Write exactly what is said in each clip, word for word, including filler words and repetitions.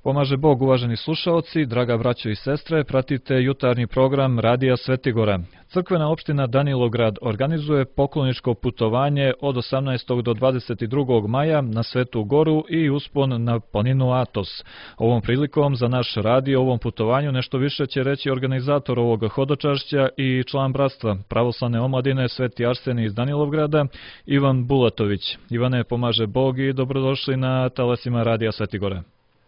Pomaže Bog, uvaženi slušaoci, draga braćo i sestre, pratite jutarnji program Radija Svetigora. Crkvena opština Danilograd organizuje pokloničko putovanje od osamnaestog do dvadeset drugog maja na Svetu Goru i uspon na planinu Atos. Ovom prilikom za naš radio o ovom putovanju nešto više će reći organizator ovog hodočašća i član bratstva pravoslavne omladine Sveti Arsenij iz Danilovgrada, Ivan Bulatović. Ivane, pomaže Bog i dobrodošli na talasima Radija Svetigora.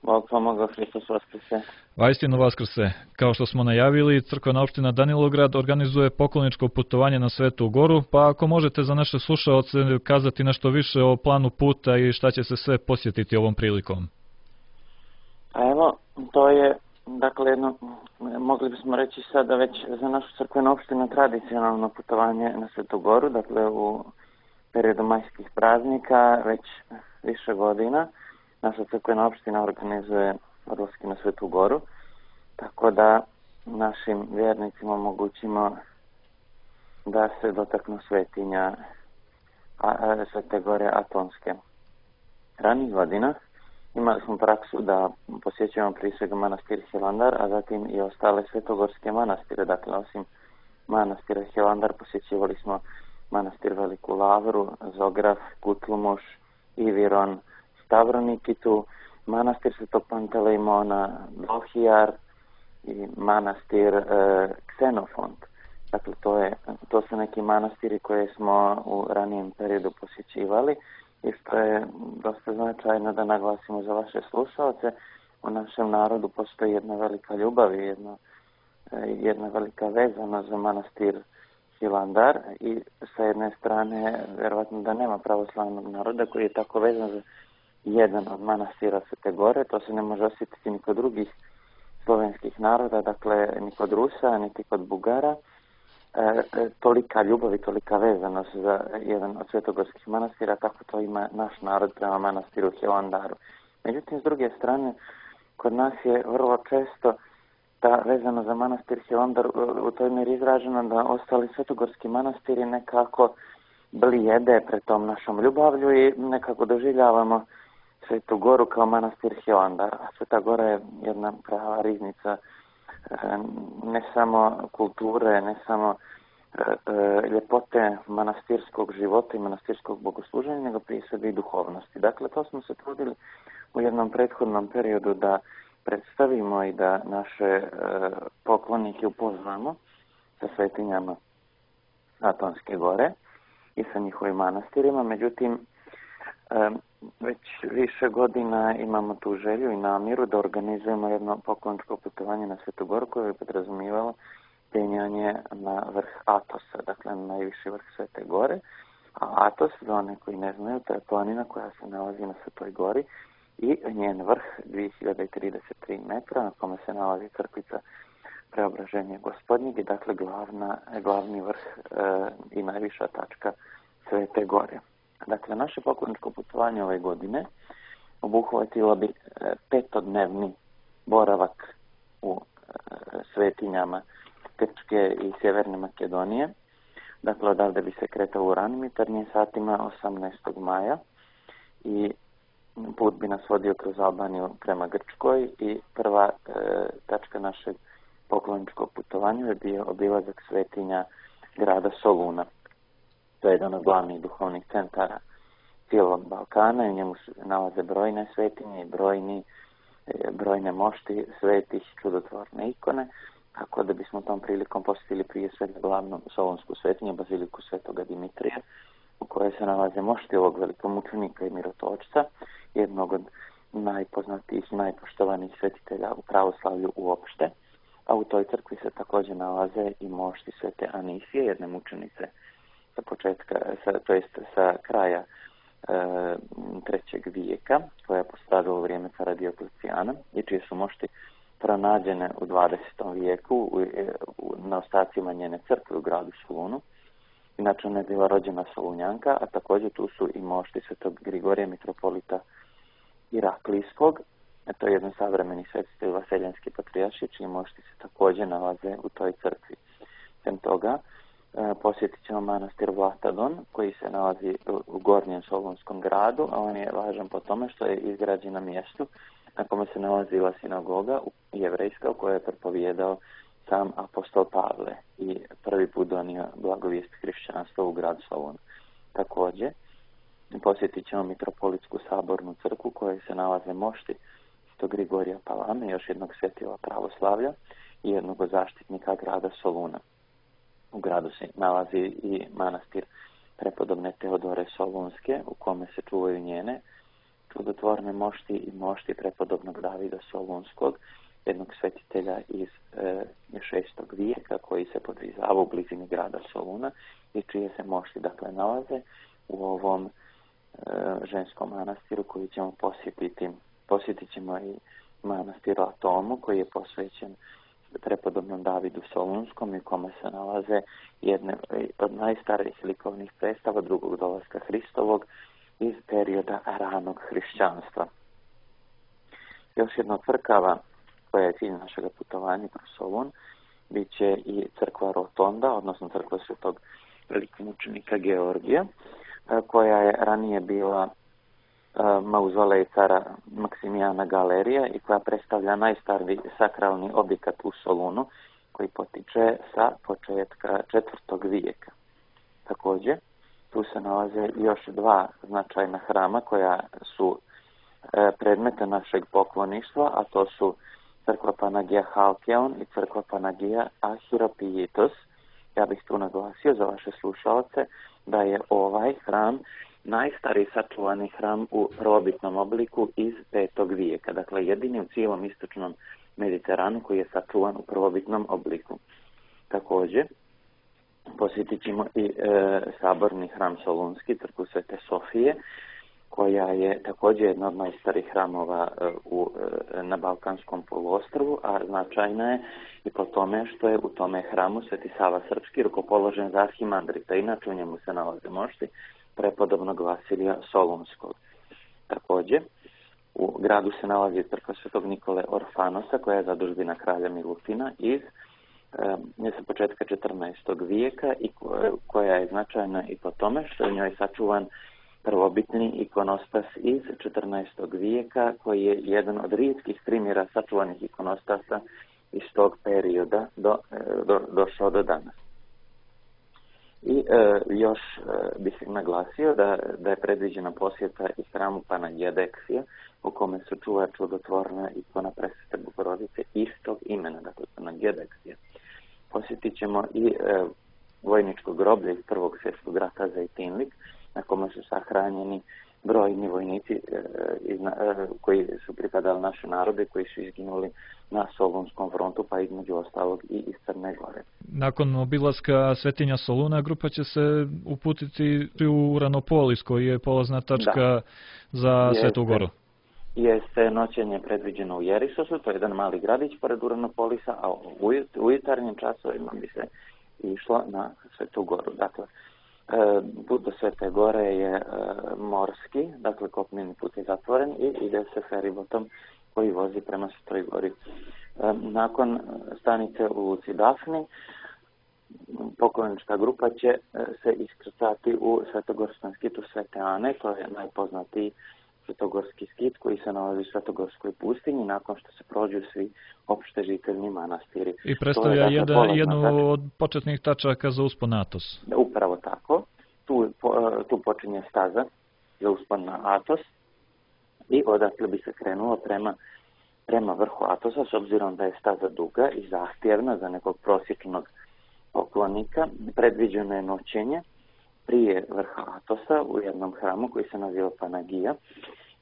Bog pomogao, Hristos vaskrse. Vaistinu vaskrse. Kao što smo najavili, crkvena opština Danilograd organizuje pokloničko putovanje na Svetu Goru, pa ako možete za naše slušaoce kazati nešto više o planu puta i šta će se sve posjetiti ovom prilikom. A evo, to je, dakle, jedno, mogli bismo reći sada već za našu crkvenu opštinu tradicionalno putovanje na Svetu Goru, dakle u periodu majskih praznika, već više godina. Naša crkvena opština organizuje odlaske na Svetu Goru, tako da našim vjernicima omogućimo da se dotaknu svetinja a, Svete Gore Atonske. Ranih godina imali smo praksu da posjećujemo prije svega manastir Hilandar, a zatim i ostale svetogorske manastire. Dakle, osim manastira Hilandar posjećivali smo manastir Veliku Lavru, Zograf, Kutlumuš, Iviron, Stavronikitu, manastir Svetog Pantelejmona, Dohijar i manastir e, Ksenofont. Dakle, to, je, to su neki manastiri koje smo u ranijem periodu posjećivali i što je dosta značajno da naglasimo za vaše slušalce. U našem narodu postoji jedna velika ljubav i jedna, jedna velika vezana za manastir Hilandar i sa jedne strane vjerovatno da nema pravoslavnog naroda koji je tako vezan za jedan od manastira Svete Gore. To se ne može osjetiti ni kod drugih slovenskih naroda, dakle ni kod Rusa, niti kod Bugara. E, tolika ljubav i tolika vezanost za jedan od svetogorskih manastira, kako to ima naš narod prema manastiru Hilandaru. Međutim, s druge strane, kod nas je vrlo često ta vezano za manastir Hilandar u toj mjeri izražena da ostali svetogorski manastiri nekako blijede pred tom našom ljubavlju i nekako doživljavamo Svetu Goru kao manastir Hilandar. A Sveta Gora je jedna prava riznica ne samo kulture, ne samo ljepote manastirskog života i manastirskog bogosluženja, nego prije svega i duhovnosti. Dakle, to smo se trudili u jednom prethodnom periodu da predstavimo i da naše poklonike upoznamo sa svetinjama Atonske gore i sa njihovim manastirima. Međutim, već više godina imamo tu želju i namjeru da organizujemo jedno pokloničko putovanje na Svetu Goru koje bi podrazumijevalo penjanje na vrh Atosa, dakle na najviši vrh Svete Gore. A Atos, za one koji ne znaju, to je planina koja se nalazi na Svetoj Gori i njen vrh dvije hiljade trideset tri metra na kome se nalazi crkvica Preobraženja Gospodnjeg i dakle glavna, glavni vrh e, i najviša tačka Svete Gore. Dakle, naše pokloničko putovanje ove godine obuhvatilo bi e, petodnevni boravak u e, svetinjama Grčke i Sjeverne Makedonije. Dakle, odavde bi se kretao u ranim jutarnjim satima osamnaestog maja i put bi nas vodio kroz Albaniju prema Grčkoj i prva e, tačka našeg pokloničkog putovanja je bio obilazak svetinja grada Soluna. To je jedan od glavnih duhovnih centara cijelog Balkana i u njemu se nalaze brojne svetinje i brojni, e, brojne mošti svetih, čudotvorne ikone, tako da bismo tom prilikom posjetili prije svega glavnu solunsku svetinju, baziliku Svetoga Dimitrija, u kojoj se nalaze mošti ovog velikomučenika i mirotočca, jednog od najpoznatijih i najpoštovanijih svetitelja u pravoslavlju uopšte, a u toj crkvi se također nalaze i mošti Svete Anisije, jedne mučenice sa početka, sa, to jest sa kraja e, trećeg vijeka, koja je postradala u vrijeme cara Dioklecijana i čije su mošti pronađene u dvadesetom vijeku u, u, na ostacima njene crkve u gradu Solunu. Inače, ona je bila rođena Solunjanka, a također tu su i mošti Svetog Grigorija, mitropolita Iraklijskog. To je jedan savremeni svetitelj vaseljanski patrijarši, čiji mošti se također nalaze u toj crkvi. Sem toga, e, posjetit ćemo manastir Vlatadon, koji se nalazi u, u gornjem Solunskom gradu, a on je važan po tome što je izgrađen na mjestu na kome se nalazila sinagoga jevrejska u kojoj je propovijedao sam apostol Pavle i prvi put donio blagovijest hrišćanstva u grad Solun. Također, posjetit ćemo Mitropolitsku sabornu crkvu u kojoj se nalaze mošti Sv. Grigorija Palame, još jednog svjetila pravoslavlja i jednog zaštitnika grada Soluna. U gradu se nalazi i manastir prepodobne Teodore Solunske u kome se čuvaju njene čudotvorne mošti i mošti prepodobnog Davida Solunskog, jednog svetitelja iz e, šestog vijeka koji se podvizava u blizini grada Soluna i čije se mošti dakle nalaze u ovom e, ženskom manastiru koji ćemo posjetiti. Posjetit ćemo i manastir Latomu koji je posvećen prepodobnom Davidu Solunskom i u kome se nalaze jedne od najstarijih likovnih predstava drugog dolaska Hristovog iz perioda ranog hrišćanstva. Još jedna crkava koja je cilj našeg putovanja kroz Solun bit će i crkva Rotonda, odnosno crkva svetog velikomučenika Georgija, koja je ranije bila mauzolej cara Maksimijana Galerija i koja predstavlja najstariji sakralni objekat u Solunu koji potiče sa početka četvrtog vijeka. Također, tu se nalaze još dva značajna hrama koja su predmete našeg pokloništva, a to su crkva Panagija Halkeon i crkva Panagija Ahiropijitos. Ja bih tu naglasio za vaše slušalce da je ovaj hram najstariji sačuvani hram u prvobitnom obliku iz petog vijeka, dakle jedini u cijelom istočnom Mediteranu koji je sačuvan u prvobitnom obliku. Također, posjetit ćemo i e, saborni hram Solunski, crkvu Svete Sofije, koja je također jedna od najstarijih hramova e, u, e, na Balkanskom poluostrvu, a značajna je i po tome što je u tome hramu Sveti Sava Srpski rukopoložen za arhimandrita, inače u njemu se nalaze mošti prepodobnog Vasilija Solunskog. Također, u gradu se nalazi crkva Svetog Nikole Orfanosa, koja je zadužbina kralja Milutina iz e, sa početka četrnaestog vijeka i koja je značajna i po tome što je u njoj sačuvan prvobitni ikonostas iz četrnaestog vijeka, koji je jedan od rijetkih primjera sačuvanih ikonostasa iz tog perioda do, do, došao do danas. I e, još e, bih naglasio da, da je predviđena posjeta i hramu Panagjedeksija, u kome se čuva čudotvorna ikona Presvete Bogorodice istog imena, dakle Panagjedeksija. Posjetit ćemo i e, vojničko groblje iz Prvog svjetskog rata Zejtinlik, na kome su sahranjeni brojni vojnici e, iz, e, koji su pripadali naše narode, koji su izginuli na Solunskom frontu, pa između ostalog i iz Crne Gore. Nakon obilaska Svetinja Soluna, grupa će se uputiti u Uranopolis, koji je polazna tačka da. za jeste, Svetu Goru. Jeste noćenje predviđeno u Jerisosu, to je jedan mali gradić pored Uranopolisa, a u, u jutarnjim časovima bi se išlo na Svetu Goru. Dakle, put do Svete Gore je e, morski, dakle kopneni put je zatvoren i ide se feribotom koji vozi prema Svetoj Gori. E, nakon stanice u Luci Dafni, poklonička grupa će e, se iskrcati u Svetogorskom skitu Svete Ane, to je najpoznatiji svetogorski skit koji se nalazi u Svetogorskoj pustinji nakon što se prođu svi opšte žiteljni manastiri. I predstavlja je, dakle, jedan, jednu tačka od početnih tačaka za uspon na Atos. Upravo tako. Tu, tu počinje staza za uspon na Atos i odatle bi se krenulo prema, prema vrhu Atosa, s obzirom da je staza duga i zahtjevna za nekog prosječnog poklonika. Predviđeno je noćenje prije vrha Atosa u jednom hramu koji se naziva Panagija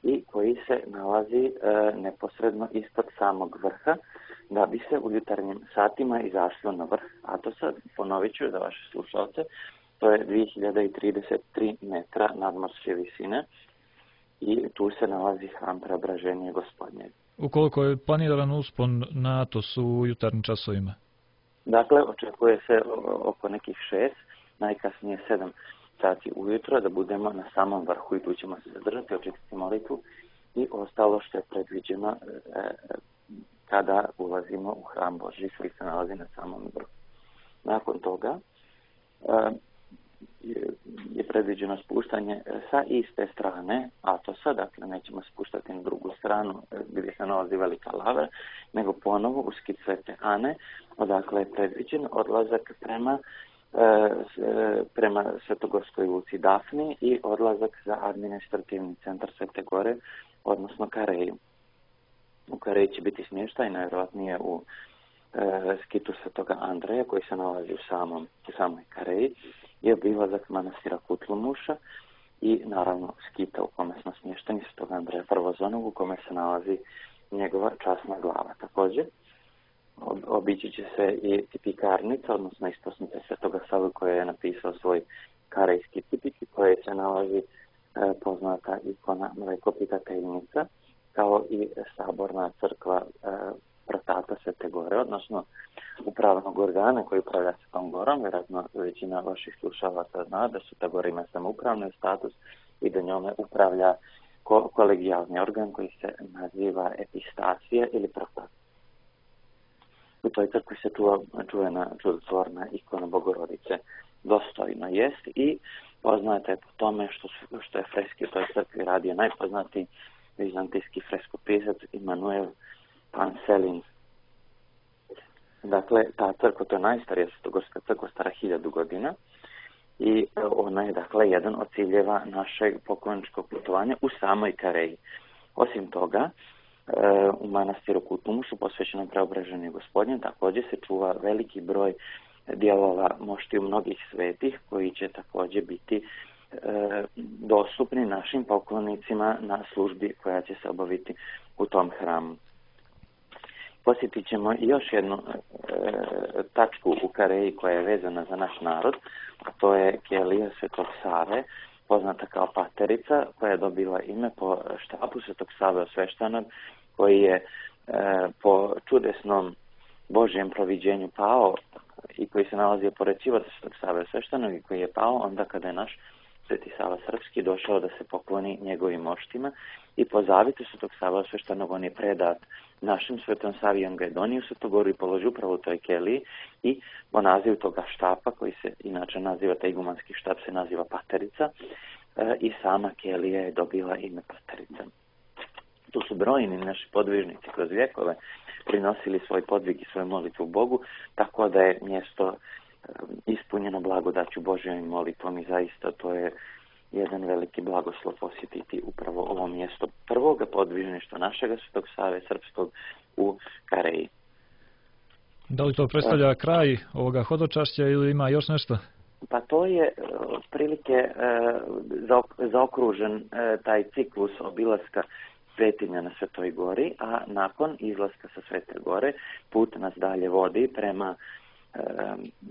i koji se nalazi e, neposredno ispod samog vrha, da bi se u jutarnjim satima izašlo na vrh Atosa. Ponovit ću za vaše slušalce, to je dvije hiljade trideset tri metra nadmorske visine i tu se nalazi hram Preobraženja Gospodnje. Ukoliko je planiran uspon na Atos u jutarnjim časovima? Dakle, očekuje se oko nekih šest, najkasnije sedam sati ujutro, da budemo na samom vrhu i tu ćemo se zadržati, očekati molitvu i ostalo što je predviđeno e, kada ulazimo u hram Božji koji se nalazi na samom vrhu. Nakon toga e, je predviđeno spuštanje sa iste strane Atosa, dakle nećemo spuštati na drugu stranu gdje se nalazi velika lava, nego ponovo u skit Svete Ane, odakle je predviđen odlazak prema prema Svetogorskoj luci Dafni i odlazak za administrativni centar Svete Gore, odnosno Kareju. U Kareji će biti smještaj, najvjerojatnije u e, skitu Svetoga Andreja, koji se nalazi u, samom, u samoj Kareji, i obilazak manastira Kutlumuša i naravno skita u kome smo smješteni Svetoga Andreja Prvozonog, u kome se nalazi njegova časna glava. Također, obići će se i tipikarnica, odnosno isposnica Svetoga Save, koja je napisao svoj karejski tipik, koje se nalazi e, poznata ikona Mlekopitateljnica, kao i saborna crkva e, Protata Svete Gore, odnosno upravnog organa koji upravlja Svetom Gorom. Vjerojatno većina vaših slušalaca zna da Sveta Gora ima samoupravni status i da njome upravlja ko- kolegijalni organ koji se naziva epistacija ili protat. U toj crkvi se čuva čuvena čudotvorna ikona Bogorodice Dostojno jest i poznate po tome što, su, što je freski u toj crkvi radio najpoznatiji vizantijski freskopisac Immanuel Panselin. Dakle, ta crkva, to je najstarija svetogorska crkva, stara hiljadu godina i ona je, dakle, jedan od ciljeva našeg pokloničkog putovanja u samoj Kareji. Osim toga, u manastiru Kutlumušu, posvećenom Preobraženju Gospodnjem, također se čuva veliki broj dijelova moštiju mnogih svetih, koji će također biti e, dostupni našim poklonicima na službi koja će se obaviti u tom hramu. Posjetit ćemo još jednu e, tačku u Kareji koja je vezana za naš narod, a to je kelija Svetog Save, poznata kao Paterica, koja je dobila ime po štapu Svetog Save Osveštanog, koji je e, po čudesnom Božjem proviđenju pao i koji se nalazio pored Ćivota Svetog Save Osveštanog i koji je pao onda kada je naš Sveti Sava Srpski došao da se pokloni njegovim moštima i po zavitu Svetog Save Osveštanog on je predat našem Svetom Savi, on ga je donio u Svetu Goru i položio upravo u toj keliji i po nazivu toga štapa, koji se inače naziva, taj igumanski štap se naziva Paterica, e, i sama kelija je dobila ime Paterica. Tu su brojni naši podvižnici kroz vjekove prinosili svoj podvig i svoju molitvu Bogu, tako da je mjesto ispunjeno blagodaću Božjom molitvom i zaista to je jedan veliki blagoslov posjetiti upravo ovo mjesto prvoga podvižništva našega Svetog Save Srpskog u Kareji. Da li to predstavlja kraj ovoga hodočašća ili ima još nešto? Pa to je prilike zaokružen taj ciklus obilaska svetinja na Svetoj Gori, a nakon izlaska sa Svete Gore put nas dalje vodi prema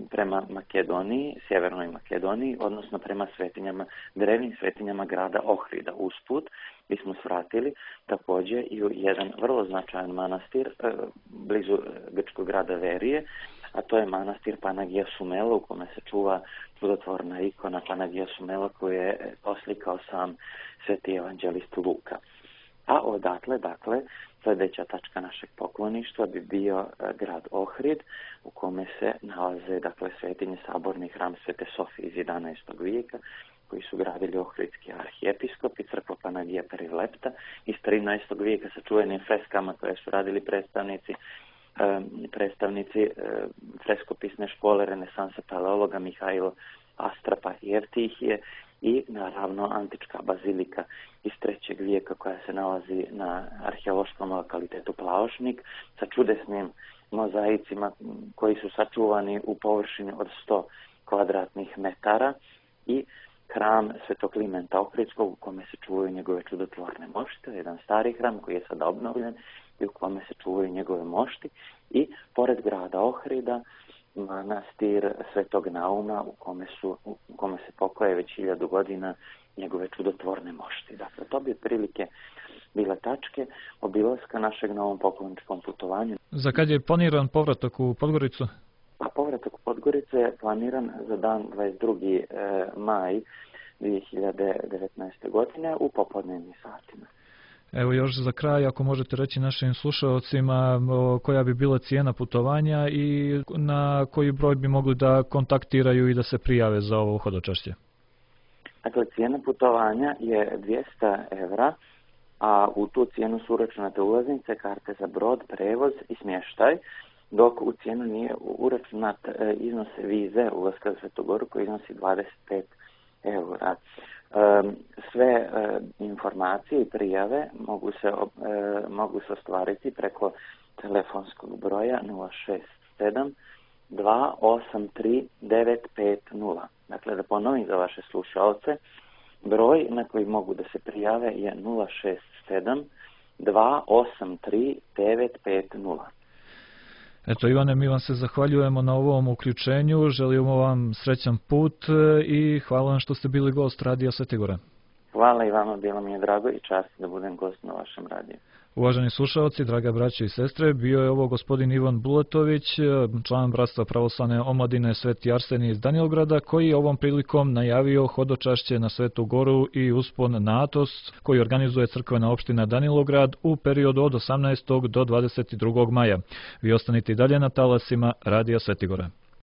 prema Makedoniji, sjevernoj Makedoniji, odnosno prema svetinjama, drevnim svetinjama grada Ohrida. Usput mi smo svratili također i u jedan vrlo značajan manastir blizu grčkog grada Verije, a to je manastir Panagija Sumela, u kome se čuva čudotvorna ikona Panagija Sumela koju je oslikao sam sveti evanđelist Luka. A odatle, dakle, sljedeća tačka našeg pokloništva bi bio grad Ohrid, u kome se nalaze, dakle, svetinje saborni hram Svete Sofije iz jedanaestog vijeka, koji su gradili ohridski arhijepiskop i crkva Panagija Perilepta iz trinaestog vijeka sa čuvenim freskama koje su radili predstavnici predstavnici freskopisne škole renesansa paleologa Mihajlo Astrapa i Evtihije i naravno antička bazilika iz trećeg vijeka koja se nalazi na arheološkom lokalitetu Plaošnik sa čudesnim mozaicima koji su sačuvani u površini od sto kvadratnih metara i hram Svetog Klimenta Ohridskog u kome se čuvaju njegove čudotvorne mošti, jedan stari hram koji je sada obnovljen i u kome se čuvaju njegove mošti i pored grada Ohrida manastir Svetog Nauma u kome, su, u kome se pokoje već hiljadu godina njegove čudotvorne mošti. Dakle, to bi prilike bile tačke obilaska našeg na ovom pokloničkom putovanju. Za kad je planiran povratak u Podgoricu? Pa povratak u Podgoricu je planiran za dan dvadeset drugi maj dvije hiljade devetnaeste. godine u popodnevnim satima. Evo još za kraj, ako možete reći našim slušalcima koja bi bila cijena putovanja i na koji broj bi mogli da kontaktiraju i da se prijave za ovo hodočašće. Dakle, cijena putovanja je dvjesto evra, a u tu cijenu su uračunate ulaznice, karte za brod, prevoz i smještaj, dok u cijenu nije uračunat iznos vize ulaska za Svetu Goru koji iznosi dvadeset pet eura. Sve informacije i prijave mogu se, mogu se ostvariti preko telefonskog broja nula šest sedam dva osam tri devet pet nula. Dakle, da ponovim za vaše slušalce, broj na koji mogu da se prijave je nula šest sedam dva osam tri devet pet nula. Eto, Ivane, mi vam se zahvaljujemo na ovom uključenju, želimo vam srećan put i hvala vam što ste bili gost Radija Svete Gore. Hvala i vama, bilo mi je drago i čast da budem gost na vašem radiju. Uvaženi slušalci, draga braćo i sestre, bio je ovo gospodin Ivan Bulatović, član Bratstva pravoslavne omladine Sveti Arsenije iz Danilograda, koji je ovom prilikom najavio hodočašće na Svetu Goru i uspon na Atos, koji organizuje crkvena opština Danilograd u periodu od osamnaestog do dvadeset drugog maja. Vi ostanite i dalje na talasima Radija Sveti Gore.